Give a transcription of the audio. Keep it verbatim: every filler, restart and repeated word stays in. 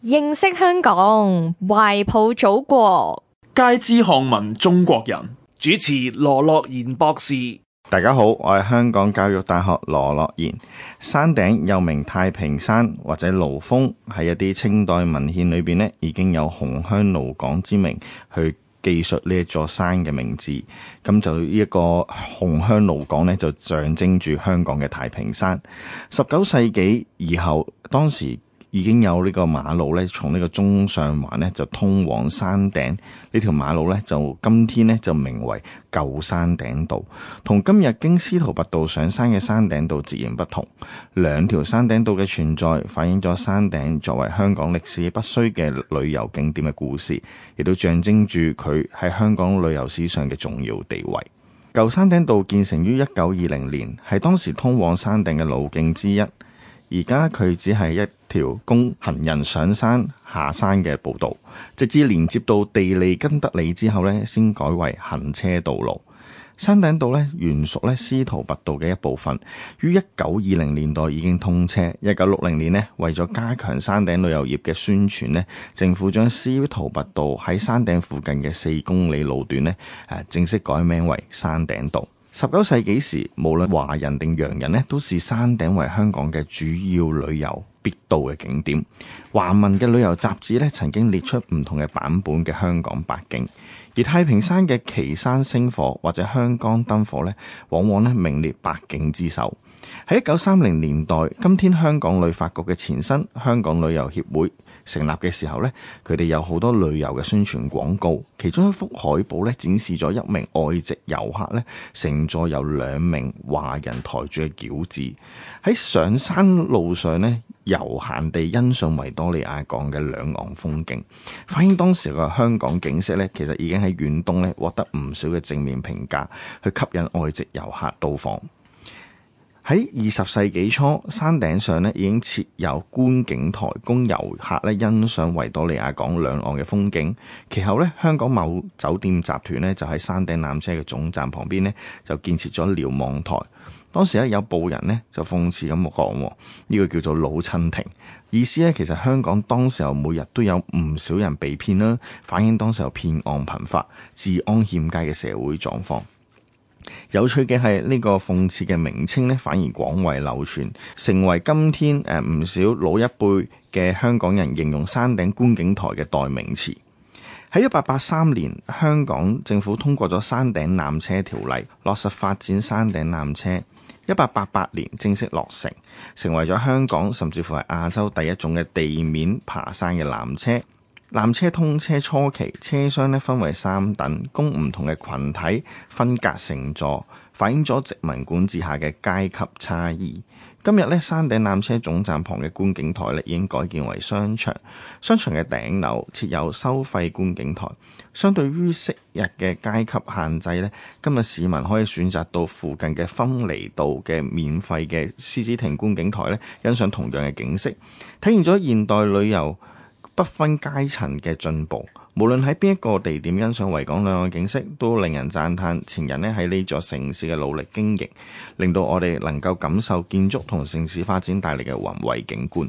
認識香港，懷抱祖國，皆知漢民中國人。主持羅樂賢博士。大家好，我係香港教育大學羅樂賢。山頂又名太平山或者蘆峰，喺一啲清代文獻裏邊呢，已經有紅香蘆港之名去記述呢一座山嘅名字。咁就呢一個紅香蘆港呢，就象徵住香港嘅太平山。十九世紀以後，當時已經有呢個馬路咧，從呢個中上環咧就通往山頂。呢條馬路咧就今天咧就名為舊山頂道，同今日經司徒拔道上山嘅山頂道截然不同。兩條山頂道嘅存在，反映咗山頂作為香港歷史不衰嘅旅遊景點嘅故事，亦都象徵住佢喺香港旅遊史上嘅重要地位。舊山頂道建成於一九二零年，係當時通往山頂嘅路徑之一。而家佢只係一條供行人上山下山嘅步道，直至連接到地利根德里之後呢，先改為行車道路。山頂道呢，原屬呢司徒拔道嘅一部分，於一九二零年代已經通車。一九六零年呢，為咗加強山頂旅遊業嘅宣傳呢，政府將司徒拔道喺山頂附近嘅四公里路段呢，誒正式改名為山頂道。十九世紀時，無論華人定洋人呢，都視山頂為香港嘅主要旅遊必到嘅景點。華文嘅旅遊雜誌呢，曾經列出唔同嘅版本嘅香港八景，而太平山嘅旗山星火或者香江燈火呢，往往呢名列八景之首。喺一九三零年代，今天香港旅發局嘅前身香港旅遊協會成立嘅時候呢，佢哋有好多旅遊嘅宣傳廣告，其中一幅海報呢，展示咗一名外籍遊客呢，乘坐由兩名華人抬住嘅轎子喺上山路上呢，悠閒地欣賞維多利亞港嘅兩岸風景，反映當時嘅香港景色呢，其實已經喺遠東呢獲得唔少嘅正面評價，去吸引外籍遊客到訪。喺二十世紀初，山頂上咧已經設有觀景台，供遊客咧欣賞維多利亞港兩岸嘅風景。其後咧，香港某酒店集團咧就喺山頂纜車嘅總站旁邊咧就建設咗瞭望台。當時咧有報人咧就諷刺咁講，呢、這個叫做老襯亭，意思咧其實香港當時候每日都有唔少人被騙啦，反映當時候騙案頻發、治安欠佳嘅社會狀況。有趣嘅係呢個諷刺嘅名稱呢，反而廣為流傳，成為今天誒唔少老一輩嘅香港人形容山頂觀景台嘅代名詞。喺一八八三年，香港政府通過咗山頂纜車條例，落實發展山頂纜車。一八八八年正式落成，成為咗香港甚至乎係亞洲第一種嘅地面爬山嘅纜車。纜車通車初期，車廂咧分為三等，供唔同嘅群體分隔乘坐，反映咗殖民管治下嘅階級差異。今日咧，山頂纜車總站旁嘅觀景台咧已經改建為商場，商場嘅頂樓設有收費觀景台。相對於昔日嘅階級限制咧，今日市民可以選擇到附近嘅芬尼道嘅免費嘅獅子亭觀景台咧，欣賞同樣嘅景色，體現咗現代旅遊不分階層嘅進步。無論喺邊一個地點欣賞維港兩岸景色，都令人讚嘆前人咧喺呢座城市嘅努力經營，令到我哋能夠感受建築同城市發展帶嚟嘅宏偉景觀。